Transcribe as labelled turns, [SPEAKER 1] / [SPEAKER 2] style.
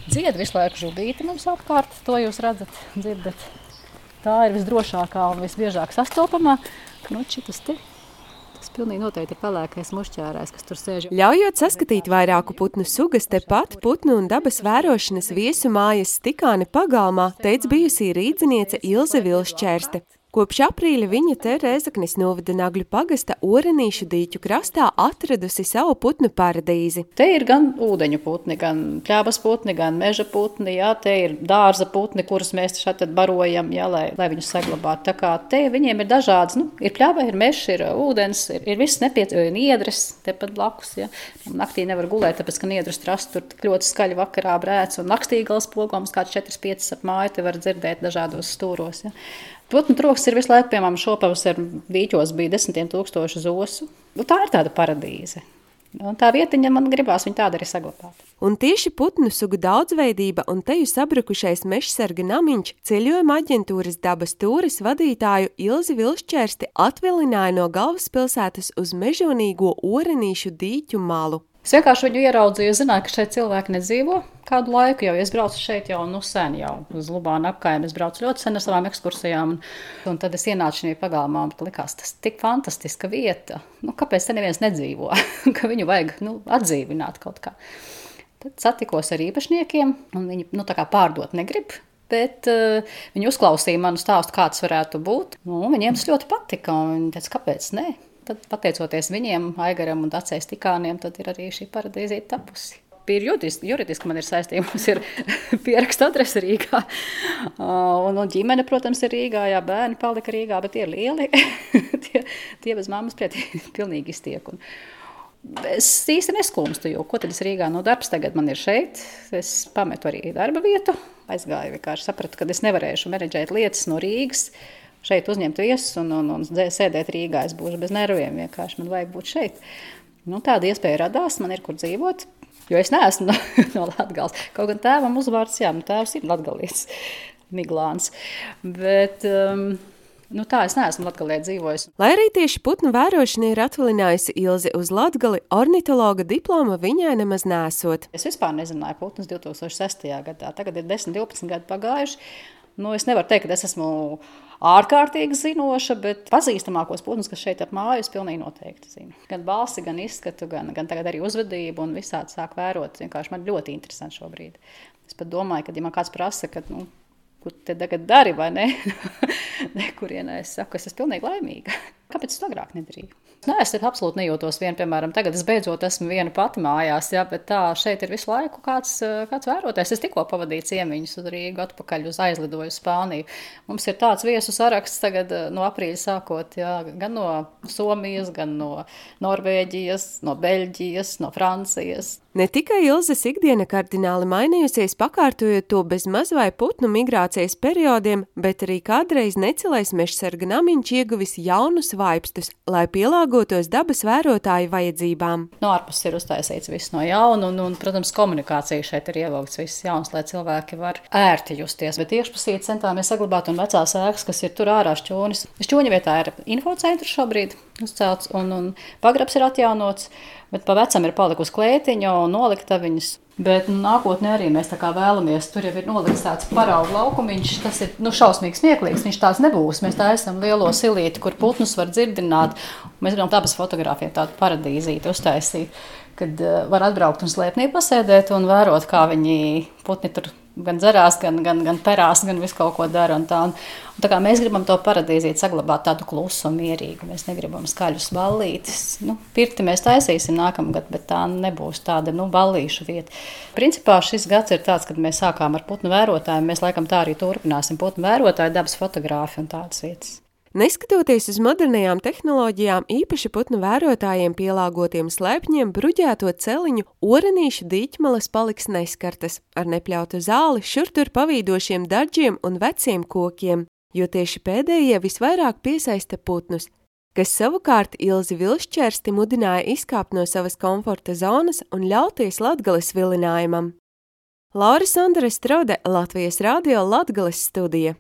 [SPEAKER 1] Dzied visu laiku žubīti mums apkārt, to jūs redzat, dzirdat. Tā ir visdrošākā un visbiežāk sastopamā. Šitas te. Tas pilnīgi noteikti ir pelēkais mušķērājs, kas tur sēž.
[SPEAKER 2] Ļaujot saskatīt vairāku putnu sugas, tepat putnu un dabas vērošanas viesu mājas Stikāne pagalmā, teica bijusī rīdziniece Ilze Vilšķērste. Kopš aprīļa viņa te Rēzeknes novada Nagļu pagasta Orenīšu dīķu krastā atradusi savu putnu paradīzi.
[SPEAKER 1] Te ir gan ūdeņu putni, gan pļāvas putni, gan meža putni, jā, te ir dārza putni, kurus mēs šeit barojam, jā, lai viņus saglabātu. Tā kā te viņiem ir dažādas, ir pļāva, ir mežs, ir ūdens, ir viss nepieciešams, niedres tepat blakus, jā. Naktī nevar gulēt, tāpēc, ka niedres trasts tur ļoti skaļi vakarā brēc, un nakstīgals pogums kāds 4-5 ap māju te var dzirdēt dažādos stūros, jā. Putnu troks ir visu laiku, piemēram, šopavasar dīķos bija 10 000 zosu. Tā ir tāda paradīze. Un tā vietiņa man gribās viņu tādu arī saglabāt.
[SPEAKER 2] Un tieši putnu sugu daudzveidība un teju sabrukušais mežsarga namiņš ceļojuma aģentūras Dabas tūres vadītāju Ilzi Vilšķērsti atvilināja no galvaspilsētas uz mežonīgo Orenīšu dīķu malu.
[SPEAKER 1] Es vienkārši viņu ieraudzīju, zināju, ka šeit cilvēki nedzīvo kādu laiku jau. Es braucu šeit jau sen, jau uz Lubānu apkaimi. Es braucu ļoti sen ar savām ekskursijām. Un tad es ienācu šajā pagalmā un likās, tas tik fantastiska vieta. Kāpēc te neviens nedzīvo? Ka viņu vajag atdzīvināt kaut kā. Tad satikos ar īpašniekiem un viņi tā kā pārdot negrib. Bet viņi uzklausīja manu stāstu, kā tas varētu būt. Viņiem tas ļoti patika un viņi teica, kāpēc ne? Tad, pateicoties viņiem, Aigaram un Dacei Stikāniem, tad ir arī šī paradīzīte tapusi. Juridiski man ir saistība, mums ir pieraksta adrese Rīgā. Un ģimene, protams, ir Rīgā, jā, bērni palika Rīgā, bet tie ir lieli. tie bez mammas pilnīgi iztiek. Un es īsti neskumstu, jo ko tad es Rīgā darbs tagad man ir šeit. Es pametu arī darba vietu, aizgāju vienkārši sapratu, ka es nevarēšu menedžēt lietas no Rīgas. Šeit uzņemt viesus un sēdēt Rīgā. Es būšu bez nerviem vienkārši. Man vajag būt šeit. Tāda iespēja radās. Man ir kur dzīvot. Jo es neesmu no Latgales. Kaut gan tēvam uzvārds, jā, tēvs ir latgalietis, Miglāns. Bet tā es neesmu Latgalē dzīvojis.
[SPEAKER 2] Lai arī tieši putnu vērošana ir atvilinājusi Ilzi uz Latgali, ornitologa diploma viņai nemaz nesot.
[SPEAKER 1] Es vispār nezināju putnus 2006. gadā. Tagad ir 10-12 gadi pagājuši. Es nevaru teikt, ka es esmu ārkārtīgi zinoša, bet pazīstamākos putnus, kas šeit ap māju, es pilnīgi noteikti zinu. Gan balsi, gan izskatu, gan tagad arī uzvedību un visādi sāk vērot. Vienkārši man ļoti interesanti šobrīd. Es pat domāju, ka ja man kāds prasa, ka, kur te tagad dari vai ne, nekurienē es saku, es esmu pilnīgi laimīga. Kāpēc es to agrāk nedarīju? Es absolūti nejūtos viena, piemēram, tagad es beidzot esmu viena pati mājās, jā, bet tā šeit ir visu laiku kāds vērotājs. Es tikko pavadīju ciemiņus uz Rīgu, atpakaļ uz aizlidoju Spāniju. Mums ir tāds viesu saraksts tagad no aprīļa sākot, jā, gan no Somijas, gan no Norvēģijas, no Beļģijas, no Francijas.
[SPEAKER 2] Ne tikai Ilzes ikdiena kardināli mainījusies, pakārtojot to bez maz vai putnu migrācijas periodiem, bet arī kādreiz necilais mežsarga namiņš ieguvis jaunus vaipstus, lai pielāgotos dabas vērotāju vajadzībām.
[SPEAKER 1] No ārpus ir uztaisīts viss no jauna, un, protams, komunikācija šeit ir ievilkts viss jauns, lai cilvēki var ērti justies. Bet iekšpusī centāmies saglabāt un vecās ēkas, kas ir tur ārā šķūnis. Šķūņa vietā ir infocentrs šobrīd uzcelts, un pagrabs ir atjaunots, bet pa vecam ir palikusi klētiņa un noliktaviņas. Bet nākotnē arī mēs tā kā vēlamies, tur jau ir nolikts tāds paraugu laukumiņš, tas ir šausmīgi smieklīgs, viņš tās nebūs. Mēs tā esam lielo silīti, kur putnus var dzirdināt. Mēs gribam tāpēc fotogrāfiem tādu paradīzīti uztaisīt, kad var atbraukt un slēpnī pasēdēt un vērot, kā viņi putni tur gan dzerās, gan perās, gan visu kaut ko dara. Un tā kā mēs gribam to paradīzīt saglabāt tādu klusu un mierīgu. Mēs negribam skaļus ballītes. Pirti mēs taisīsim nākamgad, bet tā nebūs tāda ballīšu vieta. Principā šis gads ir tāds, kad mēs sākām ar putnu vērotājiem. Mēs laikam tā arī turpināsim. Putnu vērotāji, dabas fotogrāfi un tādas vietas.
[SPEAKER 2] Neskatoties uz modernajām tehnoloģijām, īpaši putnu vērotājiem pielāgotiem slēpņiem, bruģēto celiņu Orenīšu dīķmalas paliks neskartas ar nepļautu zāli, šur tur pavīdošiem daļģiem un veciem kokiem, jo tieši pēdējie visvairāk piesaista putnus, kas savukārt Ilzi Vilšķērsti mudināja izkāpt no savas komforta zonas un ļauties Latgales vilinājumam. Laura Sondere Strode, Latvijas radio Latgales studija.